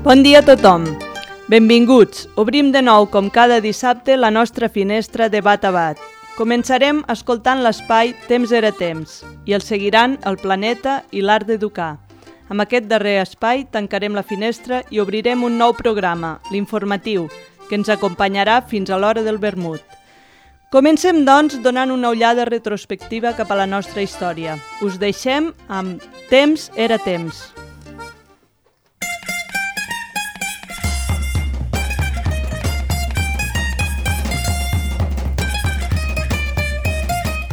Bon dia a tothom. Benvinguts. Obrim de nou, com cada dissabte, la nostra finestra de bat a bat. Començarem escoltant l'espai Temps era temps i el seguiran el planeta i l'art d'educar. Amb aquest darrer espai tancarem la finestra i obrirem un nou programa, l'informatiu, que ens acompanyarà fins a l'hora del vermut. Comencem, doncs, donant una ullada retrospectiva cap a la nostra història. Us deixem amb Temps era temps.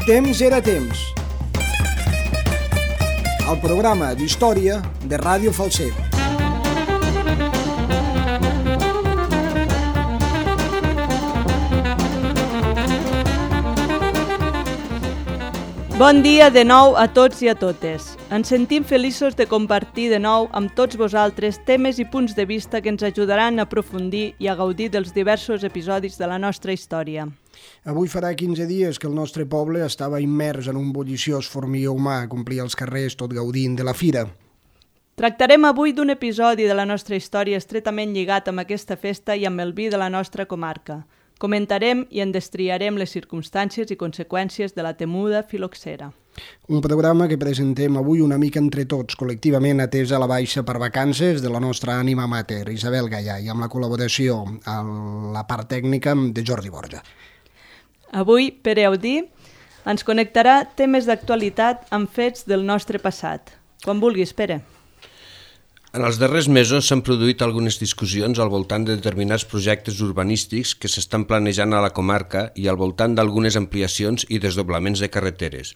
Temps era temps. El programa d'història de Ràdio Falset. Bon dia de nou a tots i a totes. Ens sentim feliços de compartir de nou amb tots vosaltres temes i punts de vista que ens ajudaran a aprofundir i a gaudir dels diversos episodis de la nostra història. Avui farà 15 dies que el nostre poble estava immers en un bulliciós formió humà, complia els carrers tot gaudint de la fira. Tractarem avui d'un episodi de la nostra història estretament lligat amb aquesta festa i amb el vi de la nostra comarca. Comentarem i en destriarem les circumstàncies i conseqüències de la temuda filoxera. Un programa que presentem avui una mica entre tots, col·lectivament atès a la baixa per vacances de la nostra ànima mater, Isabel Gallà, i amb la col·laboració a la part tècnica de Jordi Borja. Avui, Pere Audí ens connectarà temes d'actualitat amb fets del nostre passat. Quan vulguis, Pere. En els darrers mesos s'han produït algunes discussions al voltant de determinats projectes urbanístics que s'estan planejant a la comarca i al voltant d'algunes ampliacions i desdoblaments de carreteres.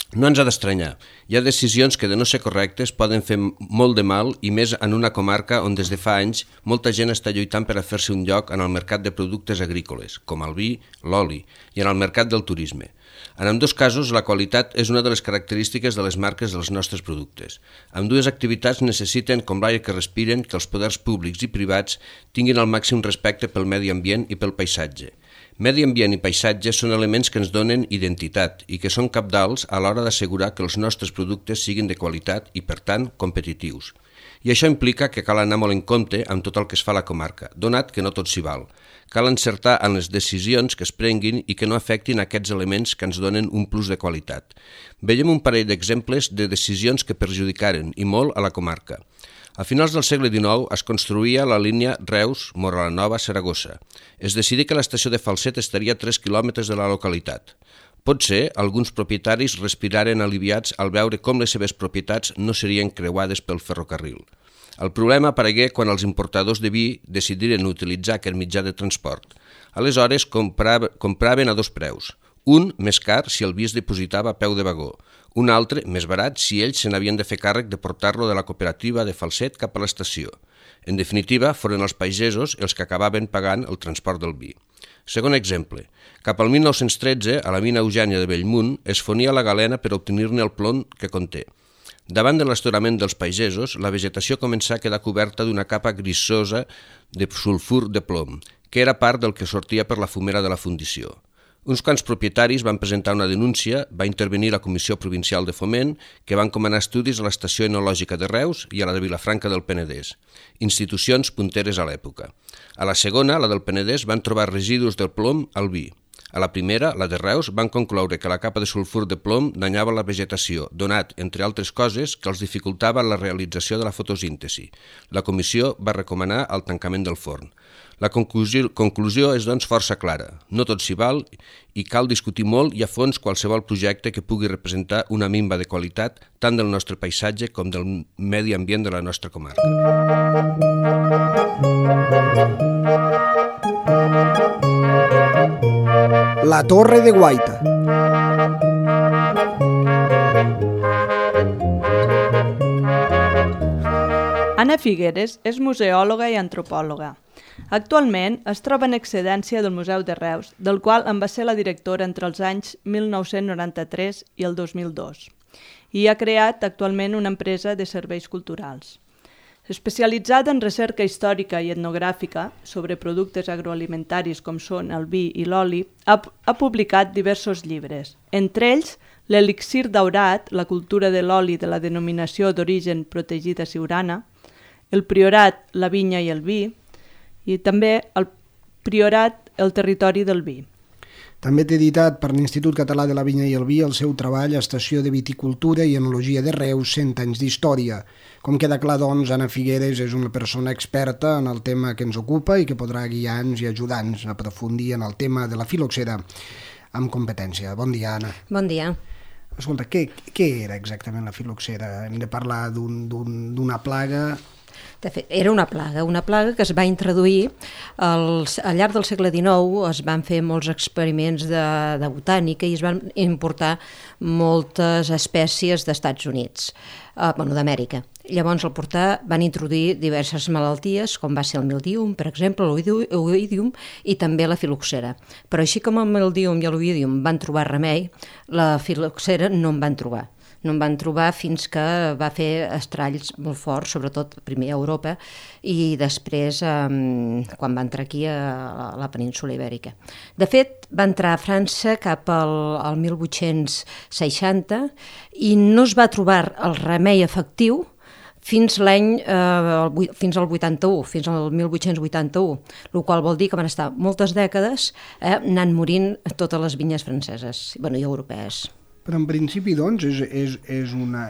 No ens ha d'estranyar. Hi ha decisions que, de no ser correctes, poden fer molt de mal i més en una comarca on des de fa anys molta gent està lluitant per a fer-se un lloc en el mercat de productes agrícoles, com el vi, l'oli, i en el mercat del turisme. En ambdós casos, la qualitat és una de les característiques de les marques dels nostres productes. Ambdues activitats necessiten, com l'aire que respiren, que els poders públics i privats tinguin el màxim respecte pel medi ambient i pel paisatge. Medi ambient i paisatge són elements que ens donen identitat i que són cabdals a l'hora d'assegurar que els nostres productes siguin de qualitat i, per tant, competitius. I això implica que cal anar molt en compte amb tot el que es fa a la comarca, donat que no tot s'hi val. Cal encertar en les decisions que es prenguin i que no afectin aquests elements que ens donen un plus de qualitat. Veiem un parell d'exemples de decisions que perjudicaren, i molt, a la comarca. A finals del segle XIX es construïa la línia Reus-Móra-la-Nova-Saragossa. Es decidí que l'estació de Falset estaria a 3 quilòmetres de la localitat. Potser alguns propietaris respiraren aliviats al veure com les seves propietats no serien creuades pel ferrocarril. El problema aparegué quan els importadors de vi decidiren utilitzar aquest mitjà de transport. Aleshores compraven a dos preus. Un, més car, si el vi es dipositava a peu de vagó. Un altre, més barat, si ells se n'havien de fer càrrec de portar-lo de la cooperativa de Falset cap a l'estació. En definitiva, foren els pagesos els que acabaven pagant el transport del vi. Segon exemple, cap al 1913, a la mina Eugènia de Bellmunt, es fonia la galena per obtenir-ne el plom que conté. Davant de l'estorament dels pagesos, la vegetació començà a quedar coberta d'una capa grisosa de sulfur de plom, que era part del que sortia per la fumera de la fundició. Uns quants propietaris van presentar una denúncia, va intervenir la Comissió Provincial de Foment, que va encomanar estudis a l'Estació Enològica de Reus i a la de Vilafranca del Penedès, institucions punteres a l'època. A la segona, la del Penedès, van trobar residus del plom al vi. A la primera, la de Reus, van concloure que la capa de sulfur de plom danyava la vegetació, donat, entre altres coses, que els dificultava la realització de la fotosíntesi. La comissió va recomanar el tancament del forn. La conclusió és, doncs, força clara. No tot s'hi val i cal discutir molt i a fons qualsevol projecte que pugui representar una minva de qualitat tant del nostre paisatge com del medi ambient de la nostra comarca. La Torre de Guaita. Anna Figueres és museòloga i antropòloga. Actualment es troba en excedència del Museu de Reus, del qual en va ser la directora entre els anys 1993 i el 2002, i ha creat actualment una empresa de serveis culturals. Especialitzada en recerca històrica i etnogràfica sobre productes agroalimentaris com són el vi i l'oli, ha publicat diversos llibres, entre ells L'elixir daurat, la cultura de l'oli de la denominació d'origen protegida siurana, el Priorat, la vinya i el vi, i també el Priorat, el territori del vi. També té editat per l'Institut Català de la Vinya i el Vi el seu treball Estació de Viticultura i Enologia de Reus, 100 anys d'història. Com queda clar, doncs, Anna Figueres és una persona experta en el tema que ens ocupa i que podrà guiar-nos i ajudar-nos a aprofundir en el tema de la filoxera amb competència. Bon dia, Anna. Bon dia. Escolta, què era exactament la filoxera? Hem de parlar d'una plaga... De fet, era una plaga que es va introduir al llarg del segle XIX. Es van fer molts experiments de botànica i es van importar moltes espècies d'Estats Units, d'Amèrica. Llavors, al portar, van introduir diverses malalties, com va ser el mildium, per exemple, l'oïdium, i també la filoxera. Però així com el mildium i l'oïdium van trobar remei, la filoxera no en van trobar. No en van trobar fins que va fer estralls molt forts, sobretot primer a Europa i després quan va entrar aquí a la península Ibèrica. De fet, va entrar a França cap al 1860 i no es va trobar el remei efectiu fins al 81, fins al 1881, el qual vol dir que van estar moltes dècades anant morint totes les vinyes franceses i europees. Però en principi, doncs, és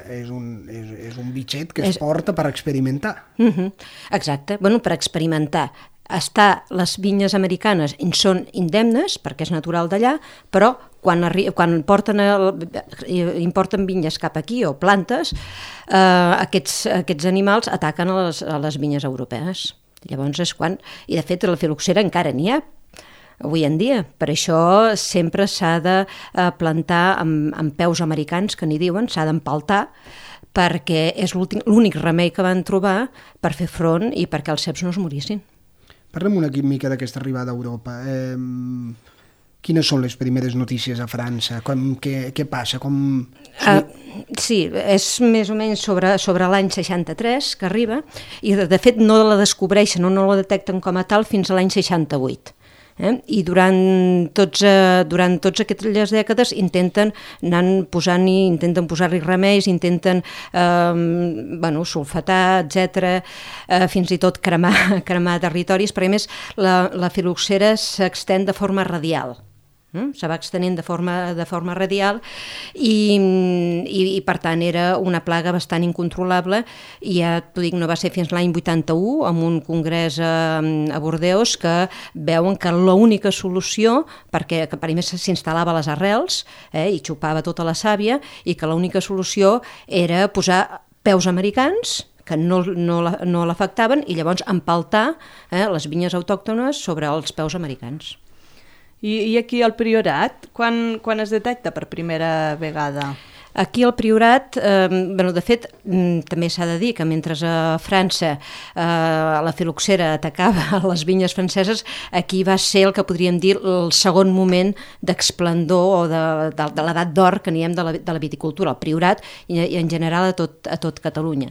un bitxet que es porta per experimentar. Exacte, per experimentar. Les vinyes americanes són indemnes, perquè és natural d'allà, però quan importen vinyes cap aquí o plantes, aquests animals ataquen a les vinyes europees. Llavors és quan... I de fet, la filoxera encara n'hi ha avui en dia. Per això sempre s'ha de plantar amb peus americans, que n'hi diuen, s'ha d'empaltar, perquè és l'únic remei que van trobar per fer front i perquè els ceps no es morissin. Parlem una mica d'aquesta arribada a Europa. Quines són les primeres notícies a França? Què passa? Sí, és més o menys sobre l'any 63 que arriba, i de fet no la descobreixen o no la detecten com a tal fins a l'any 68. I durant tots aquestes dècades intenten posar-hi remeis, intenten sulfatar, etc., fins i tot cremar territoris, perquè a més la filoxera s'extén de forma radial. Se va extenent de forma radial i per tant era una plaga bastant incontrolable, i ja t'ho dic, no va ser fins l'any 81 amb un congrés a Bordeus que veuen que l'única solució, perquè per més s'instal·lava a les arrels i xupava tota la sàvia, i que l'única solució era posar peus americans que no l'afectaven i llavors empaltar les vinyes autòctones sobre els peus americans. I aquí al Priorat, quan es detecta per primera vegada? Aquí al Priorat, de fet, també s'ha de dir que mentre a França la filoxera atacava les vinyes franceses, aquí va ser el que podríem dir el segon moment d'esplendor o de l'edat d'or que n'hi hem de la viticultura, al Priorat i en general a tot Catalunya.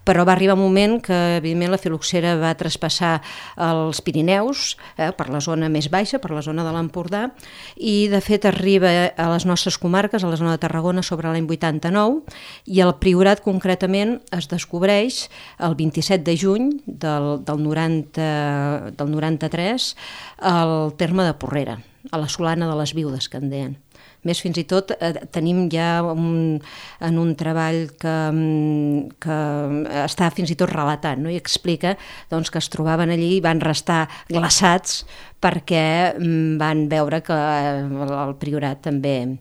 Però va arribar un moment que, evidentment, la filoxera va traspassar els Pirineus per la zona més baixa, per la zona de l'Empordà, i de fet arriba a les nostres comarques, a la zona de Tarragona, sobre l'any 89, i el Priorat concretament es descobreix el 27 de juny del 93 al terme de Porrera, a la Solana de les Viudes, que en deien. Més, fins i tot tenim ja en un treball que està fins i tot relatant, no? I explica que es trobaven allí i van restar glaçats perquè van veure que el Priorat també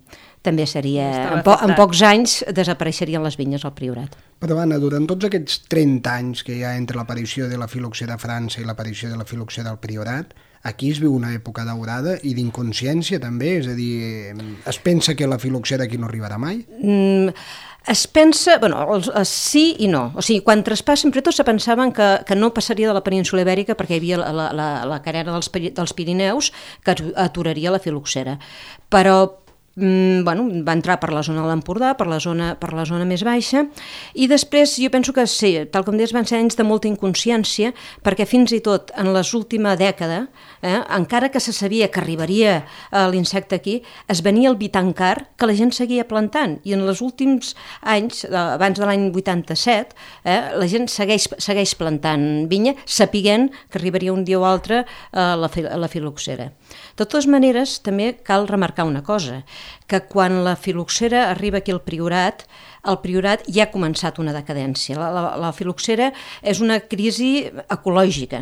seria... En pocs anys desapareixerien les vinyes al Priorat. Però, Anna, durant tots aquests 30 anys que hi ha entre l'aparició de la filoxera a França i l'aparició de la filoxera al Priorat, aquí es viu una època daurada i d'inconsciència també? És a dir, es pensa que la filoxera aquí no arribarà mai? Es pensa, sí i no. O sigui, quan traspassa, sempre tots se pensaven que no passaria de la península Ibèrica perquè hi havia la carena dels Pirineus que aturaria la filoxera. Però va entrar per la zona de l'Empordà, per la zona més baixa, i després jo penso que sí, tal com deies, van ser anys de molta inconsciència, perquè fins i tot en l'última dècada, encara que se sabia que arribaria l'insecte aquí, es venia el vi tan car que la gent seguia plantant, i en els últims anys, abans de l'any 87, la gent segueix plantant vinya, sapiguent que arribaria un dia o altre la filoxera. De totes maneres, també cal remarcar una cosa, que quan la filoxera arriba aquí al Priorat, el Priorat ja ha començat una decadència. La filoxera és una crisi ecològica,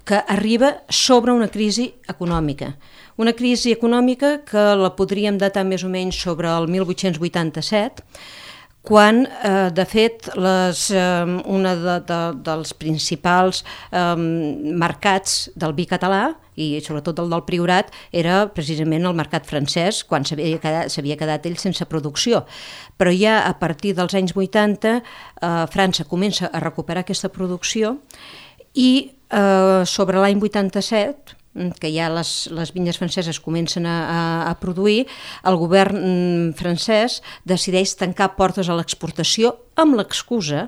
que arriba sobre una crisi econòmica. Una crisi econòmica que la podríem datar més o menys sobre el 1887, quan, de fet, un dels principals mercats del vi català, i sobretot el del Priorat, era precisament el mercat francès, quan s'havia quedat ell sense producció. Però ja a partir dels anys 80 França comença a recuperar aquesta producció i sobre l'any 87, que ja les vinyes franceses comencen a produir, el govern francès decideix tancar portes a l'exportació amb l'excusa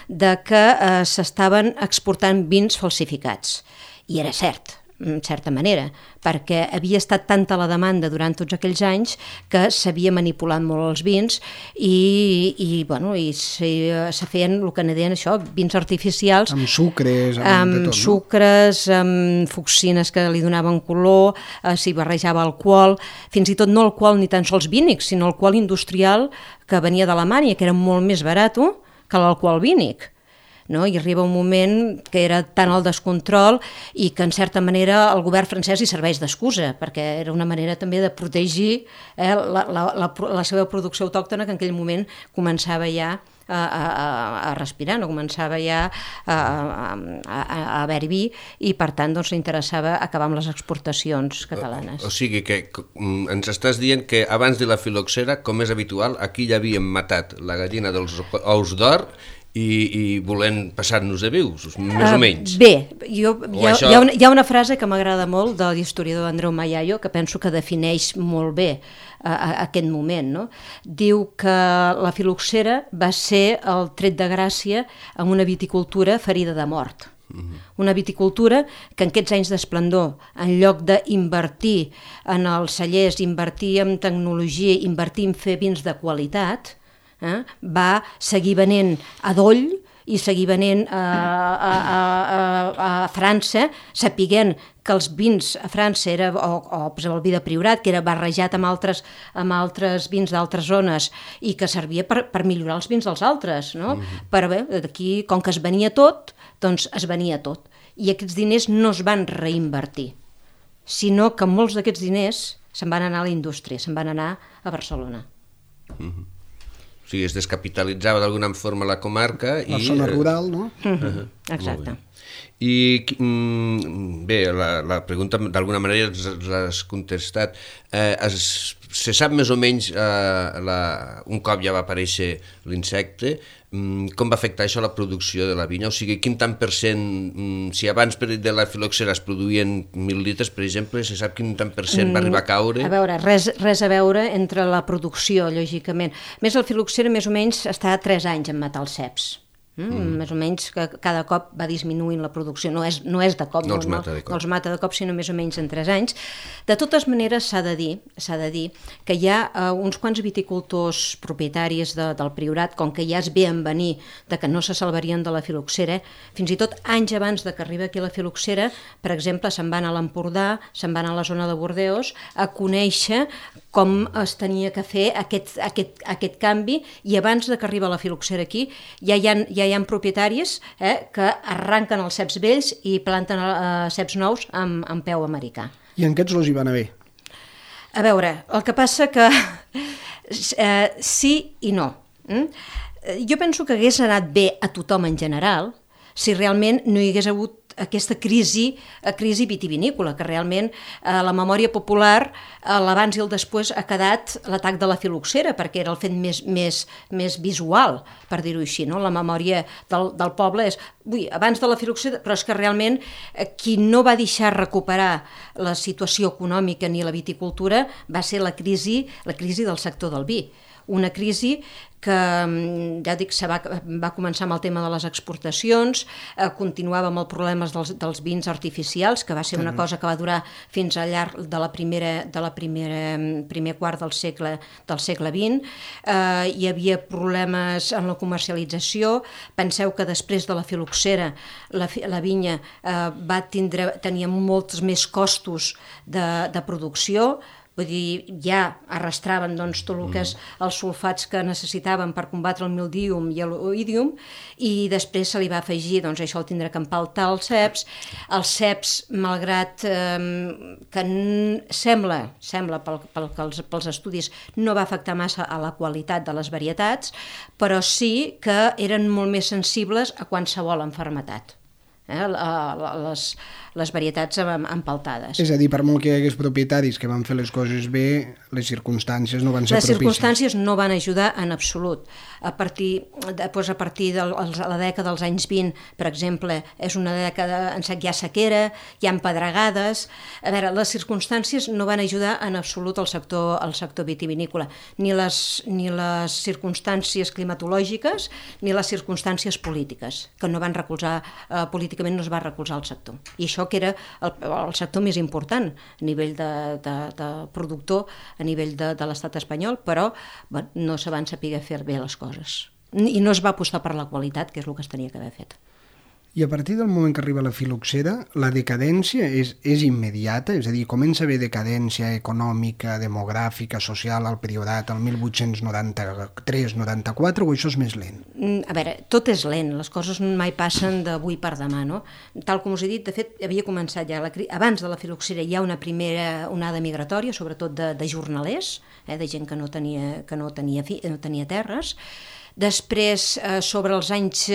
de que s'estaven exportant vins falsificats. I era cert, en certa manera, perquè havia estat tanta la demanda durant tots aquells anys que s'havia manipulat molt els vins i se feien el que deien això, vins artificials. Amb sucres, amb sucres, amb fucsines que li donaven color, s'hi barrejava alcohol, fins i tot no alcohol ni tan sols vínic, sinó alcohol industrial que venia d'Alemanya, que era molt més barat que l'alcohol vínic. No? I arriba un moment que era tant el descontrol i que en certa manera el govern francès hi serveix d'excusa, perquè era una manera també de protegir la seva producció autòctona, que en aquell moment començava ja a respirar, no començava ja a haver-hi vi, i per tant li interessava acabar amb les exportacions catalanes. O sigui que ens estàs dient que abans de la filoxera, com és habitual, aquí ja havíem matat la gallina dels ous d'or i volent passar-nos de vius, més o menys. Bé, hi ha una frase que m'agrada molt de l'historiador Andreu Mayayo, que penso que defineix molt bé aquest moment. No? Diu que la filoxera va ser el tret de gràcia en una viticultura ferida de mort. Una viticultura que en aquests anys d'esplendor, en lloc d'invertir en els cellers, invertir en tecnologia, invertir en fer vins de qualitat, va seguir venent a Doll i seguir venent a França, sapiguent que els vins a França era, o el vi de Priorat, que era barrejat amb altres vins d'altres zones i que servia per millorar els vins dels altres. No? Però bé, aquí, com que es venia tot, doncs es venia tot. I aquests diners no es van reinvertir, sinó que molts d'aquests diners se'n van anar a la indústria, se'n van anar a Barcelona. O sigui, es descapitalitzava d'alguna forma la comarca. La zona rural, no? Exacte. I bé, la pregunta d'alguna manera l'has contestat. Se sap més o menys, un cop ja va aparèixer l'insecte, com va afectar això a la producció de la vinya? O sigui, quin tant per cent, si abans de la filoxera es produïen 1.000 litres, per exemple, se sap quin tant per cent va arribar a caure? A veure, res a veure entre la producció, lògicament. Més la filoxera més o menys està 3 anys en matar els ceps. Més o menys que cada cop va disminuint la producció, no és de cop, no els mata de cop, sinó més o menys en 3 anys. De totes maneres s'ha de dir que hi ha uns quants viticultors propietaris del Priorat, com que ja es veien venir de que no se salvarien de la filoxera, fins i tot anys abans de que arribi aquí la filoxera, per exemple, se'n van a l'Empordà, se'n van a la zona de Bordeus a conèixer com es tenia que fer aquest canvi, i abans de que arriba la filoxera aquí ja hi ha propietaris que arranquen els ceps vells i planten ceps nous amb peu americà. I en aquests los hi va anar bé? A veure, el que passa que sí i no. Jo penso que hagués anat bé a tothom en general si realment no hi hagués hagut aquesta crisi vitivinícola, que realment la memòria popular, l'abans i el després, ha quedat l'atac de la filoxera, perquè era el fet més visual, per dir-ho així, no? La memòria del poble és, abans de la filoxera, però és que realment qui no va deixar recuperar la situació econòmica ni la viticultura va ser la crisi del sector del vi. Una crisi que, ja dic, va començar amb el tema de les exportacions, continuava amb els problemes dels vins artificials, que va ser una cosa que va durar fins al llarg de primer quart del segle XX. Hi havia problemes en la comercialització. Penseu que després de la filoxera la vinya tenia molts més costos de producció. Vull dir, ja arrastraven tot el que és els sulfats que necessitaven per combatre el mildium i l'oïdium, i després se li va afegir això, el tindre que empaltar els ceps. Els ceps, malgrat que sembla pels estudis, no va afectar massa a la qualitat de les varietats, però sí que eren molt més sensibles a qualsevol malaltia. Les varietats empaltades. És a dir, per molt que hi hagués propietaris que van fer les coses bé, les circumstàncies no van ser propícies. Les circumstàncies no van ajudar en absolut. A partir de la dècada dels anys 20, per exemple, és una dècada en què hi ha sequera, hi ha pedregades. A veure, les circumstàncies no van ajudar en absolut al sector vitivinícola, ni les circumstàncies climatològiques ni les circumstàncies polítiques, que no van recolzar, políticament no es va recolzar el sector. I això que era el sector més important a nivell de productor, a nivell de l'estat espanyol, però no se van saber fer bé les coses. I no es va apostar per la qualitat, que és el que es tenia que haver fet. I a partir del moment que arriba la filoxera, la decadència és immediata? És a dir, comença a haver decadència econòmica, demogràfica, social al Priorat, el 1893-94, o això és més lent? A veure, tot és lent, les coses mai passen d'avui per demà, no? Tal com us he dit, de fet, havia començat ja, abans de la filoxera hi ha una primera onada migratòria, sobretot de jornalers, de gent que no tenia terres. Després, sobre els anys...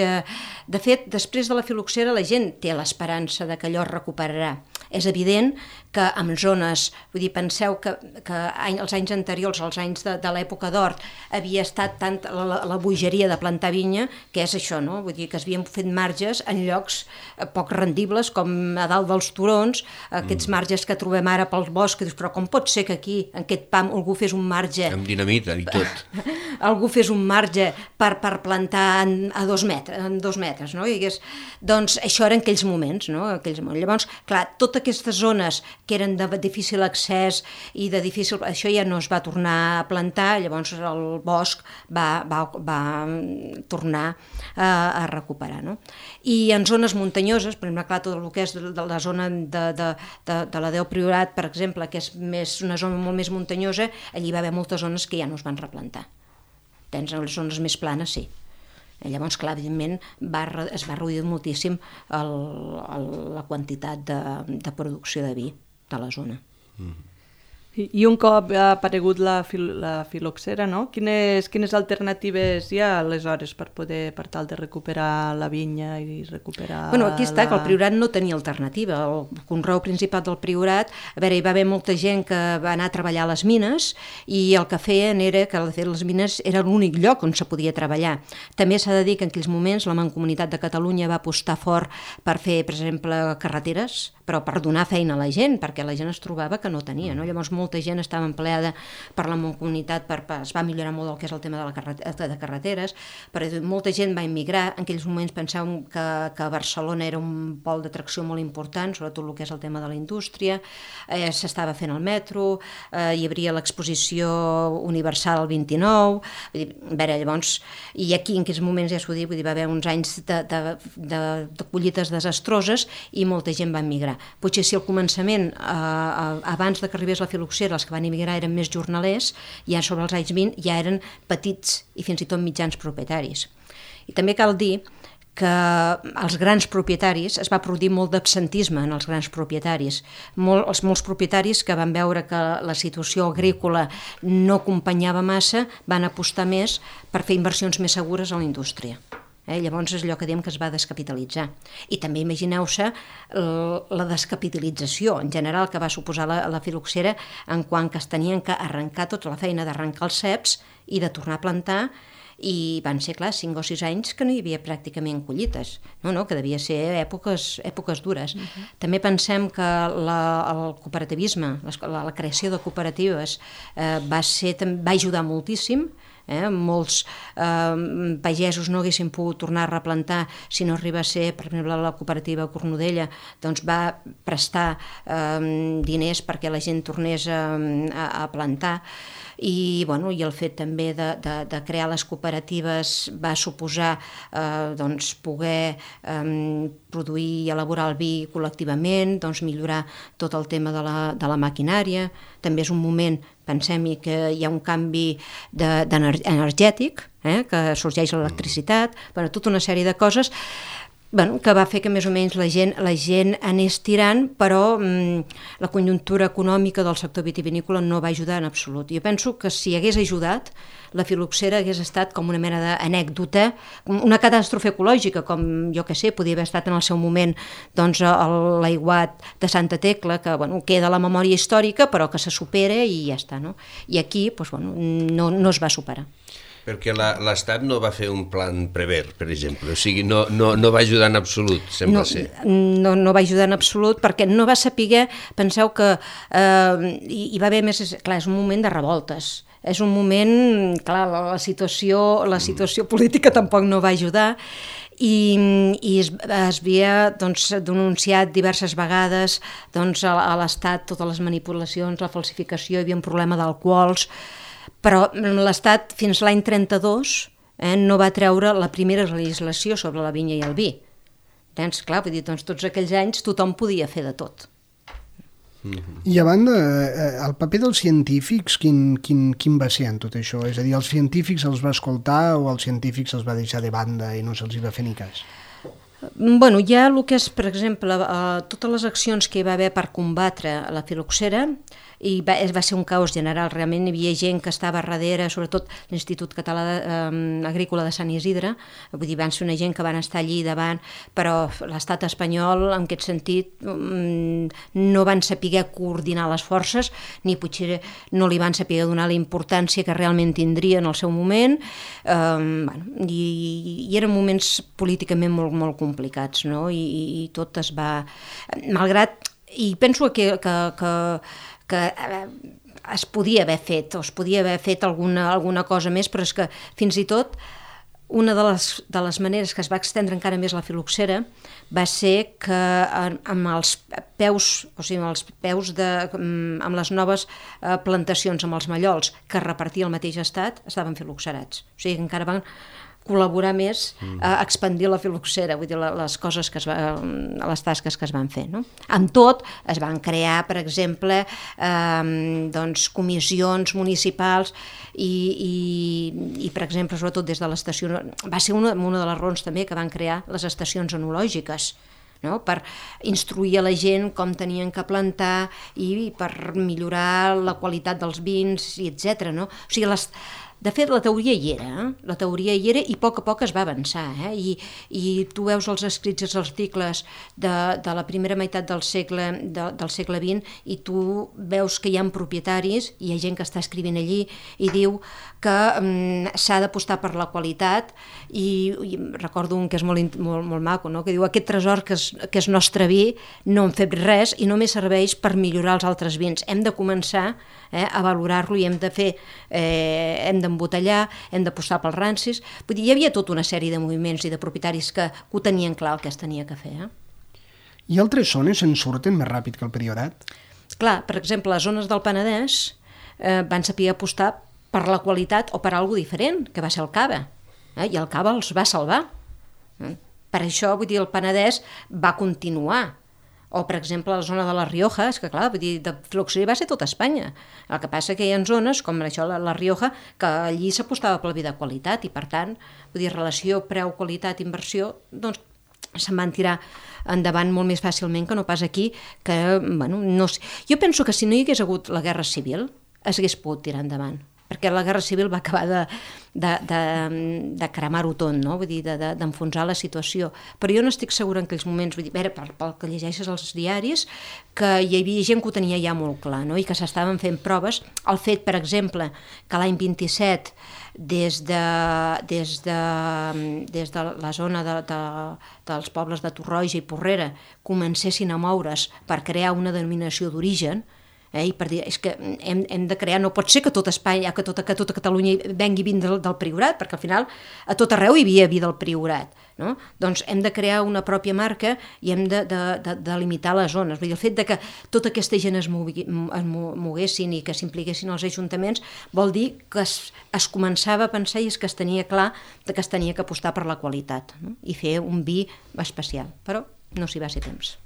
De fet, després de la filoxera la gent té l'esperança de que allò es recuperarà. És evident que en zones... Vull dir, penseu que els anys anteriors, els anys de l'època d'or, havia estat tant la bogeria de plantar vinya, que és això, no? Vull dir, que es havien fet marges en llocs poc rendibles, com a dalt dels turons, aquests marges que trobem ara pel bosc, que dius, però com pot ser que aquí, en aquest pam, algú fes un marge... Amb dinamita i tot. Algú fes un marge per plantar a 2 metres, no? Doncs això era en aquells moments, no? Llavors, clar, totes aquestes zones que eren de difícil accés i de difícil... Això ja no es va tornar a plantar, llavors el bosc va tornar a recuperar, no? I en zones muntanyoses, per exemple, clar, tot el que és de la zona de la Déu Priorat, per exemple, que és una zona molt més muntanyosa, allí va haver moltes zones que ja no es van replantar. Tens les zones més planes, sí. Llavors, clar, evidentment, es va reduir moltíssim la quantitat de producció de vi de la zona. I un cop ha aparegut la filoxera, no? Quines alternatives hi ha aleshores per tal de recuperar la vinya i recuperar... Bueno, aquí està, que el Priorat no tenia alternativa. El conreu principal del Priorat, a veure, hi va haver molta gent que va anar a treballar a les mines i el que feien era que, de fet, les mines era l'únic lloc on se podia treballar. També s'ha de dir que en aquells moments la Mancomunitat de Catalunya va apostar fort per fer, per exemple, carreteres, però per donar feina a la gent, perquè la gent es trobava que no tenia, no? Llavors molta gent estava empleada per la Mancomunitat, es va millorar molt el que és el tema de carreteres, però molta gent va immigrar. En aquells moments pensàvem que Barcelona era un pol d'atracció molt important, sobretot el que és el tema de la indústria, s'estava fent el metro, hi hauria l'exposició universal el 29, vull dir, a veure, llavors, i aquí en aquells moments ja s'ho dic, vull dir, va haver uns anys de collites desastroses i molta gent va immigrar. Potser si al començament, abans de que arribés la filoxera, els que van immigrar eren més jornalers, ja sobre els anys 20 ja eren petits i fins i tot mitjans propietaris. I també cal dir que els grans propietaris, es va produir molt d'absentisme en els grans propietaris. Molts propietaris que van veure que la situació agrícola no acompanyava massa van apostar més per fer inversions més segures a la indústria. Llavors és allò que diem que es va descapitalitzar. I també imagineu-se la descapitalització en general que va suposar la filoxera en quant que es tenien que arrencar tota la feina d'arrencar els ceps i de tornar a plantar, i van ser, clar, 5 o 6 anys que no hi havia pràcticament collites, que devia ser èpoques dures. També pensem que el cooperativisme, la creació de cooperatives va ajudar moltíssim. Molts pagesos no haguessin pogut tornar a replantar si no arriba a ser, per exemple, la cooperativa Cornudella, doncs va prestar diners perquè la gent tornés a plantar. I el fet també de crear les cooperatives va suposar poder produir i elaborar el vi col·lectivament, millorar tot el tema de la maquinària. També és un moment, pensem-hi, que hi ha un canvi energètic, que sorgeix l'electricitat, tota una sèrie de coses que va fer que més o menys la gent anés tirant, però la conjuntura econòmica del sector vitivinícola no va ajudar en absolut. Jo penso que si hagués ajudat, la filoxera hagués estat com una mena d'anècdota, una catàstrofe ecològica, com jo que sé, podia haver estat en el seu moment l'aiguat de Santa Tecla, que queda a la memòria històrica, però que se supera i ja està. I aquí no es va superar. Perquè l'Estat no va fer un plan Prever, per exemple, o sigui, no va ajudar en absolut, sembla ser. No va ajudar en absolut perquè no va saber, penseu que hi va haver més, clar, és un moment de revoltes, és un moment, clar, la situació política tampoc no va ajudar, i es havia denunciat diverses vegades a l'Estat totes les manipulacions, la falsificació, hi havia un problema d'alcohols, però l'Estat fins l'any 32 no va treure la primera legislació sobre la vinya i el vi. Clar, vull dir, tots aquells anys tothom podia fer de tot. I a banda, el paper dels científics, quin va ser en tot això? És a dir, els científics els va escoltar o els científics els va deixar de banda i no se'ls va fer ni cas? Hi ha el que és, per exemple, totes les accions que hi va haver per combatre la filoxera, i va ser un caos general, realment hi havia gent que estava darrere, sobretot l'Institut Català Agrícola de Sant Isidre, vull dir, van ser una gent que van estar allí davant, però l'estat espanyol, en aquest sentit, no van saber coordinar les forces, ni potser no li van saber donar la importància que realment tindria en el seu moment, i eren moments políticament molt, molt complicats, i tot es va... Malgrat, i penso que es podia haver fet, o es podia haver fet alguna cosa més, però és que fins i tot una de les maneres que es va extendre encara més la filoxera va ser que amb els peus, o sigui, amb les noves plantacions, amb els mallols que repartia el mateix estat, estaven filoxerats. O sigui, encara van col·laborar més a expandir la filoxera, vull dir, les tasques que es van fer. Amb tot, es van crear, per exemple, comissions municipals i, per exemple, sobretot des de l'estació... Va ser una de les raons també que van crear les estacions enològiques, per instruir a la gent com tenien que plantar i per millorar la qualitat dels vins, etc. O sigui, de fet, la teoria hi era i a poc es va avançar, i tu veus els escrits i els articles de la primera meitat del segle XX i tu veus que hi ha propietaris, hi ha gent que està escrivint allí i diu que s'ha d'apostar per la qualitat, i recordo un que és molt maco, que diu: aquest tresor que és nostre vi no en fem res i només serveix per millorar els altres vins, hem de començar a valorar-lo i hem d'embotellar, hem d'apostar pels rancis. Vull dir, hi havia tota una sèrie de moviments i de propietaris que ho tenien clar el que es tenia que fer. I altres zones se'n surten més ràpid que el Priorat? Clar, per exemple, les zones del Penedès van saber apostar per la qualitat o per alguna cosa diferent, que va ser el cava, i el cava els va salvar. Per això, vull dir, el Penedès va continuar. O, per exemple, la zona de la Rioja, és que, clar, vull dir, de filoxera va ser tota Espanya. El que passa que hi ha zones, com això, la Rioja, que allí s'apostava pel vi de qualitat i, per tant, vull dir, relació preu-qualitat-inversió, doncs, se'n van tirar endavant molt més fàcilment que no pas aquí, que, bueno, no sé. Jo penso que si no hi hagués hagut la Guerra Civil, s'hagués pogut tirar endavant. perquè la Guerra Civil va acabar de cremar-ho tot, no? Vull dir, d'enfonsar la situació. Però jo no estic segura en aquells moments, vull dir, pel que llegeixes als diaris, que hi havia gent que ho tenia ja molt clar, no? I que s'estaven fent proves. El fet, per exemple, que l'any 27 des de la zona dels pobles de Torroja i Porrera comencessin a moure's per crear una denominació d'origen, i per dir, és que hem de crear, no pot ser que tot Espanya, que tota Catalunya vengui vi del Priorat, perquè al final a tot arreu hi havia vi del Priorat, no? Doncs hem de crear una pròpia marca i hem de delimitar les zones. Vull dir, el fet de que tota aquesta gent es moguessin i que s'impliquessin els ajuntaments vol dir que es començava a pensar i és que es tenia clar que es tenia que apostar per la qualitat, no? I fer un vi especial, però no s'hi va ser temps.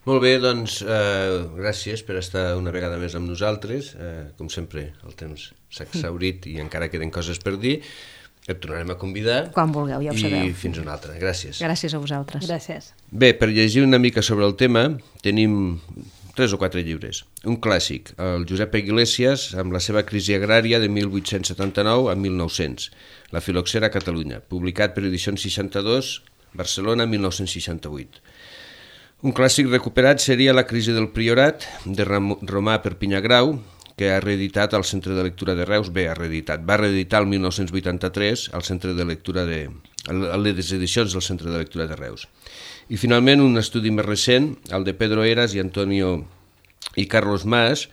Molt bé, doncs gràcies per estar una vegada més amb nosaltres. Com sempre, el temps s'ha exhaurit i encara queden coses per dir. Et tornarem a convidar. Quan vulgueu, ja ho sabeu. I fins una altra. Gràcies. Gràcies a vosaltres. Gràcies. Bé, per llegir una mica sobre el tema, tenim 3 o 4 llibres. Un clàssic, el Josep Iglesias, amb la seva crisi agrària de 1879 a 1900, La filoxera a Catalunya, publicat per Edicions 62, Barcelona, 1968. Un clàssic recuperat seria La crisi del Priorat, de Romà Perpinyà Grau, que ha reeditat al Centre de Lectura de Reus. Bé, va reeditar el 1983 al Centre de Lectura a les edicions del Centre de Lectura de Reus. I finalment un estudi més recent, el de Pedro Heras i Antonio i Carlos Mas,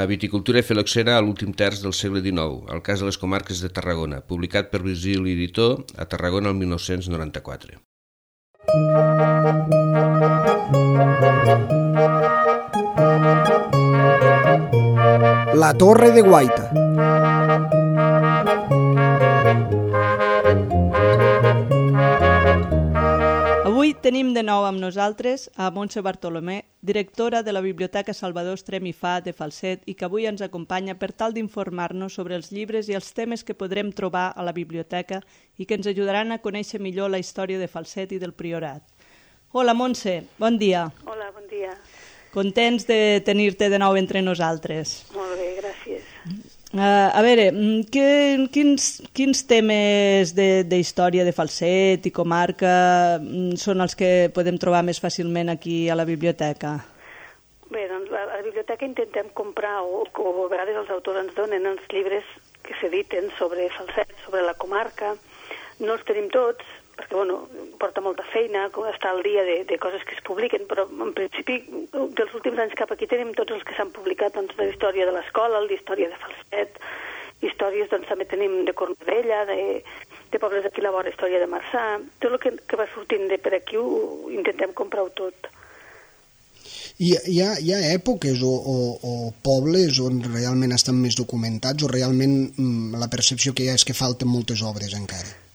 Viticultura i filoxera a l'últim terç del segle XIX, el cas de les comarques de Tarragona, publicat per Virgili Editó a Tarragona el 1994. La Torre de Guaita. Avui tenim de nou amb nosaltres a Montse Bartolomé, directora de la Biblioteca Salvador Estrem i Fa de Falset, i que avui ens acompanya per tal d'informar-nos sobre els llibres i els temes que podrem trobar a la biblioteca i que ens ajudaran a conèixer millor la història de Falset i del Priorat. Hola, Montse, bon dia. Hola, bon dia. Contents de tenir-te de nou entre nosaltres. Molt bé, gràcies. A veure, quins temes de història de Falset i comarca són els que podem trobar més fàcilment aquí a la biblioteca? Bé, doncs a la biblioteca intentem comprar, o a vegades els autors ens donen els llibres que s'editen sobre Falset, sobre la comarca. No els tenim tots, perquè porta molta feina estar al dia de coses que es publiquen, però en principi dels últims anys cap aquí tenim tots els que s'han publicat, doncs, de la història de l'escola, d'història de Falset, històries, doncs també tenim de Cornudella, de pobles d'aquí a la vora, història de Marçà, tot el que va sortint de per aquí ho intentem comprar-ho tot. Hi ha èpoques o pobles on realment estan més documentats o realment la percepció que hi ha és que falten moltes obres encara?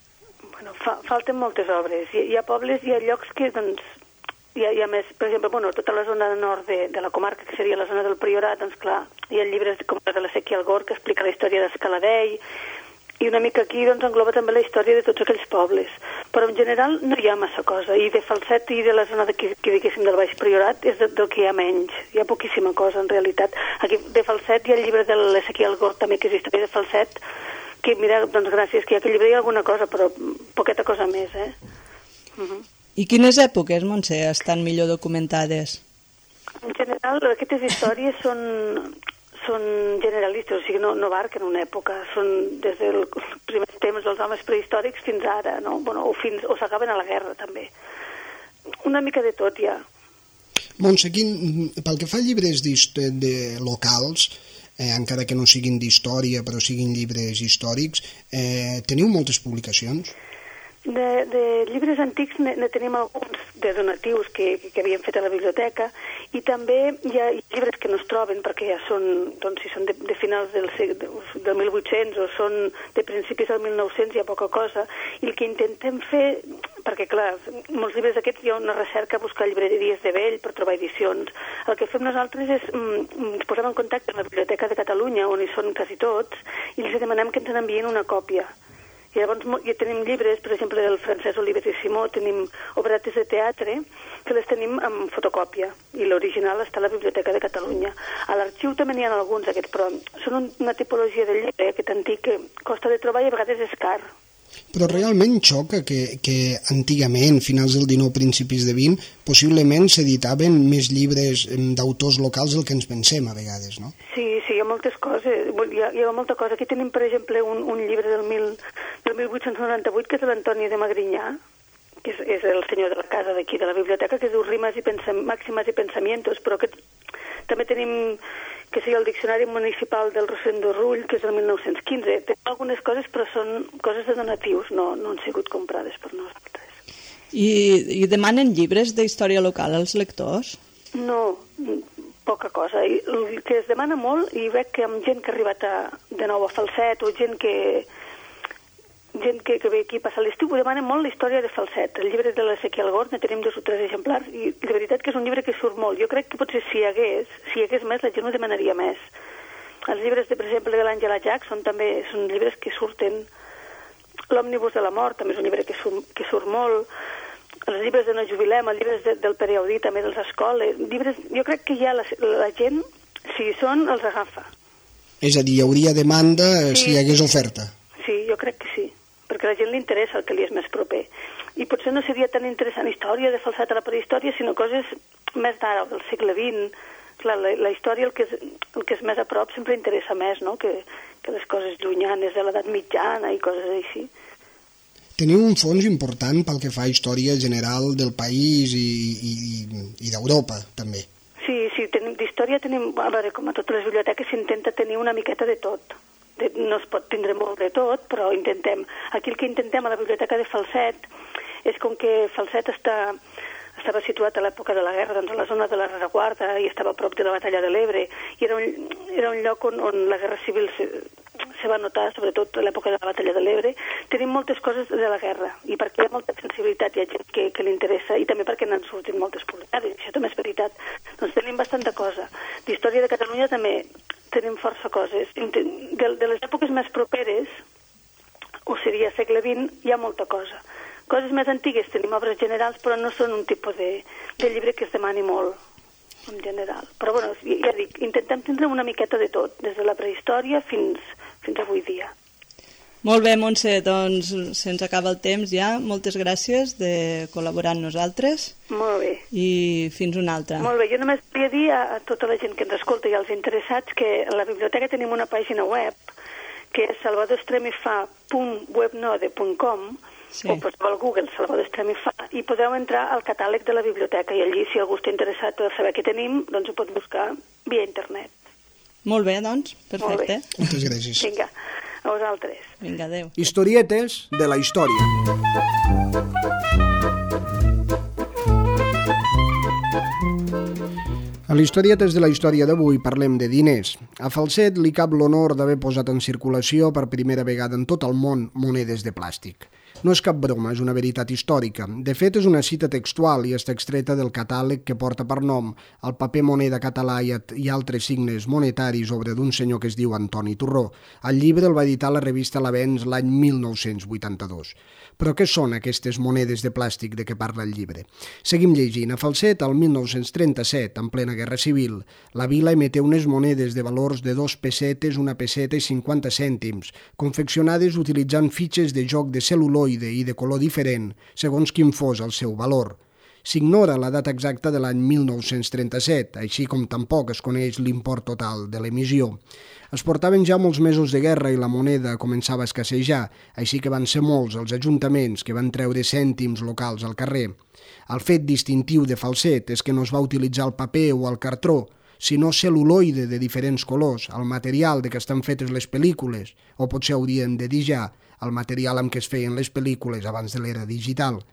Falten moltes obres. Hi ha pobles, hi ha llocs que, doncs, hi ha més, per exemple, tota la zona nord de la comarca, que seria la zona del Priorat, doncs clar, hi ha llibres com el de l'Ezequiel Gor, que explica la història d'Escaladell, i una mica aquí, doncs, engloba també la història de tots aquells pobles. Però en general no hi ha massa cosa, i de Falset i de la zona d'aquí, diguéssim, del Baix Priorat, és del que hi ha menys. Hi ha poquíssima cosa, en realitat. Aquí de Falset hi ha el llibre de l'Ezequiel Gor, també, que és història de Falset, que, mira, doncs gràcies, que hi ha aquell llibre hi ha alguna cosa, però poqueta cosa més, I quines èpoques, Montse, estan millor documentades? En general, aquestes històries són generalistes, o sigui, no abarquen una època, són des dels primers temps dels homes prehistòrics fins ara, no? O s'acaben a la guerra, també. Una mica de tot, ja. Montse, pel que fa a llibres locals, encara que no siguin d'història, però siguin llibres històrics, teniu moltes publicacions? De llibres antics ne tenim alguns de donatius que havíem fet a la biblioteca, i també hi ha llibres que no es troben perquè ja són, doncs, si són de finals del 1800 o són de principis del 1900, hi ha poca cosa, i el que intentem fer, perquè clar, molts llibres d'aquests hi ha una recerca a buscar llibreries de vell per trobar edicions. El que fem nosaltres és ens posem en contacte amb la Biblioteca de Catalunya, on hi són quasi tots, i els demanem que ens n'envien una còpia. I llavors ja tenim llibres, per exemple, del Francesc Oliver i Simó, tenim obretes de teatre que les tenim en fotocòpia i l'original està a la Biblioteca de Catalunya. A l'arxiu també n'hi ha alguns d'aquests, però són una tipologia de llibre aquest antic que costa de trobar i a vegades és car. Però realment xoca que antigament, finals del XIX, principis de XX, possiblement s'editaven més llibres d'autors locals del que ens pensem a vegades, no? Sí, hi ha moltes coses, hi ha molta cosa. Aquí tenim, per exemple, un llibre del 1898 que és de l'Antoni de Magrinyà, que és el senyor de la casa d'aquí, de la biblioteca, que es diu Rimes i Màximes i Pensamientos, però que també tenim que seria el Diccionari Municipal del Rosendo Rull, que és del 1915. Té algunes coses, però són coses de donatius, no han sigut comprades per nosaltres. I demanen llibres d'història local als lectors? No, poca cosa. El que es demana molt, i veig que amb gent que ha arribat de nou a Falset, o gent que ve aquí a passar l'estiu, ho demanen molt la història de Falset. El llibre de l'Ezequiel Gort, ne tenim 2 o 3 exemplars, i de veritat que és un llibre que surt molt. Jo crec que potser si hi hagués més, la gent ho demanaria més. Els llibres, per exemple, de l'Àngela Jackson també són llibres que surten. L'Òmnibus de la mort també és un llibre que surt molt. Els llibres de No jubilem, els llibres del Pere Audí, també dels escoles. Llibres, jo crec que ja la gent, si hi són, els agafa. És a dir, hi hauria demanda si hi hagués oferta. Sí, jo crec que sí, perquè a la gent li interessa el que li és més proper. I potser no seria tan interessant història de Falset a la prehistòria, sinó coses més d'ara, del segle XX. Clar, la història, el que és més a prop, sempre interessa més, no?, que les coses llunyanes de l'edat mitjana i coses així. Teniu un fons important pel que fa a història general del país i d'Europa, també. Sí, d'història tenim, a veure, com a totes les biblioteques s'intenta tenir una miqueta de tot. No es pot tindre molt de tot, però intentem. Aquí el que intentem a la biblioteca de Falset és com que Falset estava situat a l'època de la guerra, doncs a la zona de la rereguarda, i estava a prop de la batalla de l'Ebre, i era un lloc on la guerra civil se va notar, sobretot a l'època de la batalla de l'Ebre. Tenim moltes coses de la guerra, i perquè hi ha molta sensibilitat, hi ha gent que li interessa, i també perquè n'han sortit moltes publicades, i això també és veritat. Doncs tenim bastanta cosa. D'història de Catalunya també tenim força coses. De les èpoques més properes, o seria segle XX, hi ha molta cosa. Coses més antigues tenim obres generals, però no són un tipus de llibre que es demani molt, en general. Però, bueno, ja dic, intentem tindre una miqueta de tot, des de la prehistòria fins avui dia. Molt bé, Montse, doncs se'ns acaba el temps ja. Moltes gràcies de col·laborar amb nosaltres. Molt bé. I fins una altra. Molt bé, jo només volia dir a tota la gent que ens escolta i als interessats que a la biblioteca tenim una pàgina web que és salvadorestremifa.webnode.com. Sí. O poseu al Google Salvador Estremifa i podeu entrar al catàleg de la biblioteca i allí, si algú està interessat per saber què tenim, doncs ho pot buscar via internet. Molt bé, doncs, perfecte. Moltes gràcies. Vinga, a vosaltres. Vinga, adéu. Historietes de la història. A l'Historietes de la història d'avui parlem de diners. A Falset li cap l'honor d'haver posat en circulació per primera vegada en tot el món monedes de plàstic. No és cap broma, és una veritat històrica. De fet, és una cita textual i està extreta del catàleg que porta per nom el paper moneda català i altres signes monetaris, obra d'un senyor que es diu Antoni Torró. El llibre el va editar la revista L'Avenç l'any 1982. Però què són aquestes monedes de plàstic de què parla el llibre? Seguim llegint. A Falset, el 1937, en plena Guerra Civil, la vila emeté unes monedes de valors de 2 pessetes, 1 pesseta i 50 cèntims, confeccionades utilitzant fitxes de joc de cel·luloide i de color diferent, segons quin fos el seu valor. S'ignora la data exacta de l'any 1937, així com tampoc es coneix l'import total de l'emissió. Es portaven ja molts mesos de guerra i la moneda començava a escassejar, així que van ser molts els ajuntaments que van treure cèntims locals al carrer. El fet distintiu de Falset és que no es va utilitzar el paper o el cartró, sinó cel·luloide de diferents colors, el material de què estan fetes les pel·lícules, o potser haurien de dir ja el material amb què es feien les pel·lícules abans de l'era digital.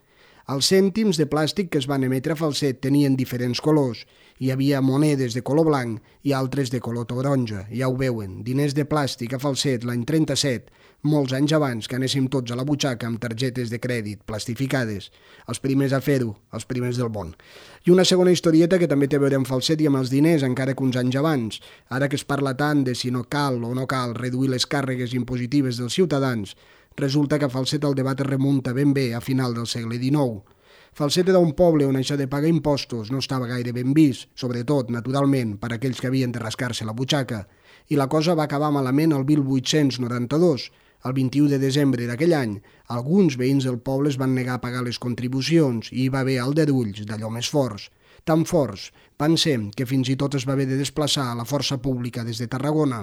Els cèntims de plàstic que es van emetre a Falset tenien diferents colors. Hi havia monedes de color blanc i altres de color taronja. Ja ho veuen, diners de plàstic a Falset l'any 37, molts anys abans que anéssim tots a la butxaca amb targetes de crèdit plastificades. Els primers a fer-ho, els primers del món. I una segona historieta que també té a veure amb Falset i amb els diners, encara que uns anys abans. Ara que es parla tant de si no cal o no cal reduir les càrregues impositives dels ciutadans, Resulta que a Falset el debat es remunta ben bé a final del segle XIX. Falset era un poble on això de pagar impostos no estava gaire ben vist, sobretot, naturalment, per aquells que havien de rascar-se la butxaca, i la cosa va acabar malament el 1892. El 21 de desembre d'aquell any, alguns veïns del poble es van negar a pagar les contribucions i hi va haver aldarulls d'allò més forts. Tan forts van ser que fins i tot es va haver de desplaçar a la força pública des de Tarragona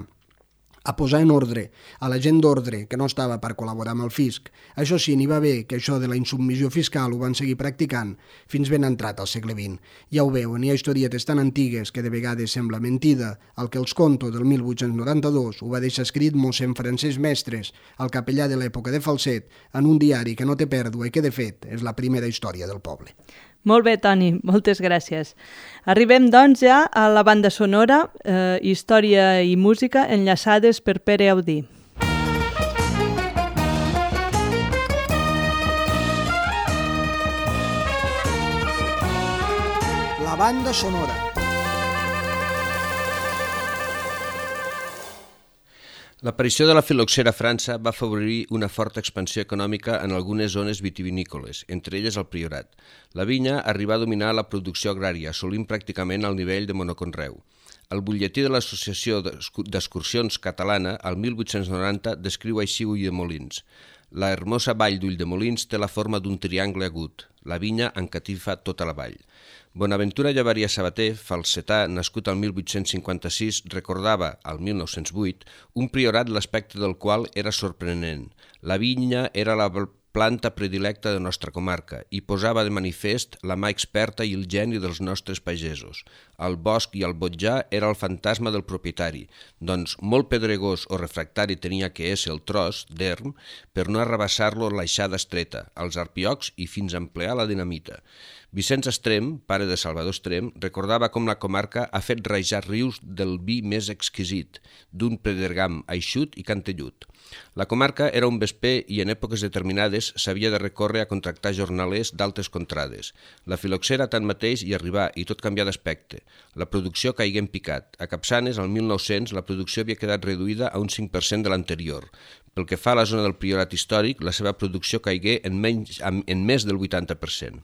a posar en ordre a la gent d'ordre que no estava per col·laborar amb el fisc. Això sí, n'hi va haver que això de la insubmissió fiscal ho van seguir practicant fins ben entrat al segle XX. Ja ho veuen, hi ha historietes tan antigues que de vegades sembla mentida. El que els conto del 1892 ho va deixar escrit mossèn Francesc Mestres, el capellà de l'època de Falset, en un diari que no té pèrdua i que, de fet, és la primera història del poble. Molt bé, Toni, moltes gràcies. Arribem, doncs, ja a la banda sonora, història i música enllaçades per Pere Audí. La banda sonora. L'aparició de la filoxera a França va afavorir una forta expansió econòmica en algunes zones vitivinícoles, entre elles el Priorat. La vinya arribà a dominar la producció agrària, assolint pràcticament el nivell de monoconreu. El butlletí de l'Associació d'Excursions Catalana, el 1890, descriu així Ulldemolins. La hermosa vall d'Ulldemolins té la forma d'un triangle agut. La vinya encatifa tota la vall. Bonaventura Llavaria Sabater, falsetà, nascut al 1856, recordava, al 1908, un priorat l'aspecte del qual era sorprenent. La vinya era la planta predilecta de nostra comarca i posava de manifest la mà experta i el geni dels nostres pagesos. El bosc i el botjà era el fantasma del propietari, doncs molt pedregós o refractari tenia que ésser el tros d'erm per no arrabassar-lo l'aixada estreta, als arpiocs i fins a emplear la dinamita. Vicenç Estrem, pare de Salvador Estrem, recordava com la comarca ha fet rajar rius del vi més exquisit, d'un pedregam eixut i cantellut. La comarca era un vesper i en èpoques determinades s'havia de recórrer a contractar jornalers d'altes contrades. La filoxera tanmateix hi arribà i tot canvià d'aspecte. La producció caigué en picat. A Capçanes, al 1900, la producció havia quedat reduïda a un 5% de l'anterior. Pel que fa a la zona del Priorat històric, la seva producció caigué en més del 80%.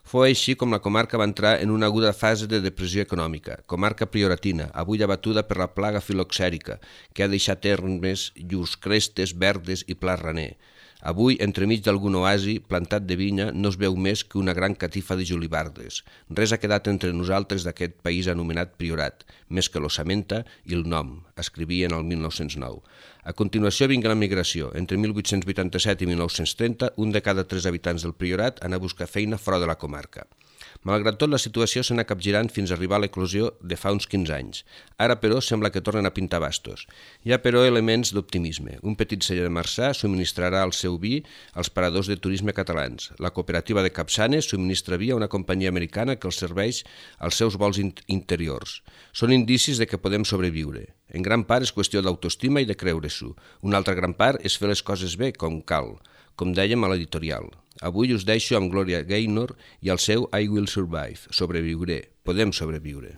Fou així com la comarca va entrar en una aguda fase de depressió econòmica, comarca prioratina, avui abatuda per la plaga filoxèrica, que ha deixat ermes, llurs crestes, verdes i pla raner. Avui, entremig d'algun oasi plantat de vinya, no es veu més que una gran catifa de julibardes. Res ha quedat entre nosaltres d'aquest país anomenat Priorat, més que l'ossamenta i el nom, escrivien el 1909. A continuació vinga la migració. Entre 1887 i 1930, un de cada 3 habitants del Priorat anà a buscar feina fora de la comarca. Malgrat tot, la situació s'anà capgirant fins a arribar a l'eclosió de fa uns 15 anys. Ara, però, sembla que tornen a pintar bastos. Hi ha, però, elements d'optimisme. Un petit celler de Marçà subministrarà el seu vi als paradors de turisme catalans. La cooperativa de Capçanes subministra vi a una companyia americana que els serveix als seus vols interiors. Són indicis de que podem sobreviure. En gran part és qüestió d'autoestima i de creure-s'ho. Una altra gran part és fer les coses bé, com cal, com dèiem a l'editorial. Avui us deixo amb Gloria Gaynor i el seu I Will Survive. Sobreviuré. Podem sobreviure.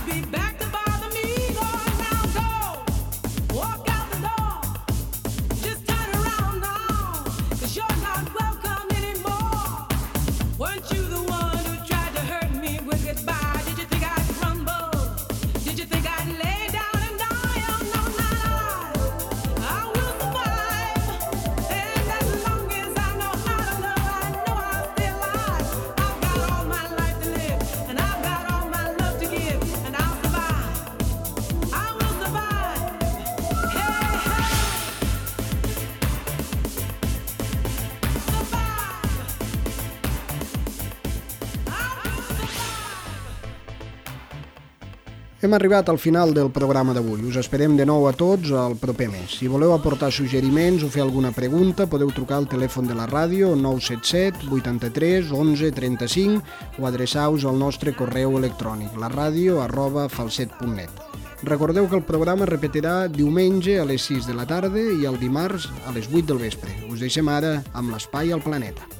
Be Hem arribat al final del programa d'avui. Us esperem de nou a tots al proper mes. Si voleu aportar suggeriments o fer alguna pregunta, podeu trucar al telèfon de la ràdio 977 83 11 35 o adreçar-vos al nostre correu electrònic laradio@falset.net. Recordeu que el programa es repetirà diumenge a les 6 de la tarda i el dimarts a les 8 del vespre. Us deixem ara amb l'Espai al Planeta.